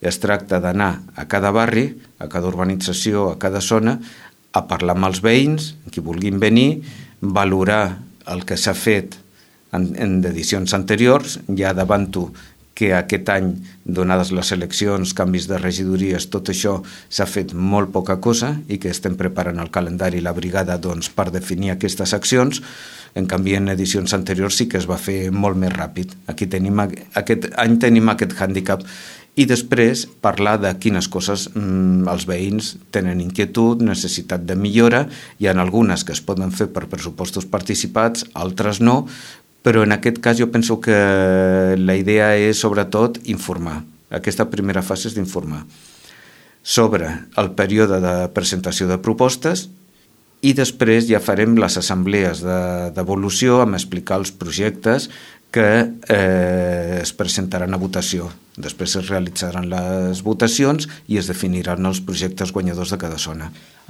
Es tracta d'anar a cada barri, a cada urbanització, a cada zona, a parlar amb els veïns, qui vulguin venir, valorar el que s'ha fet en edicions anteriors. Ja davanto que aquest any, donades les eleccions, canvis de regidories, tot això s'ha fet molt poca cosa i que estem preparant el calendari i la brigada per definir aquestes accions. En canvi, en edicions anteriors sí que es va fer molt més ràpid. Aquest any tenim aquest hàndicap. I després parlar de quines coses els veïns tenen inquietud, necessitat de millora. Hi ha algunes que es poden fer per pressupostos participats, altres no, però en aquest cas jo penso que la idea és sobretot informar. Aquesta primera fase és d'informar sobre el període de presentació de propostes i després ja farem les assemblees d'evolució amb explicar els projectes que es presentaran a votació. Després es realitzaran les votacions i es definiran els projectes guanyadors de cada zona.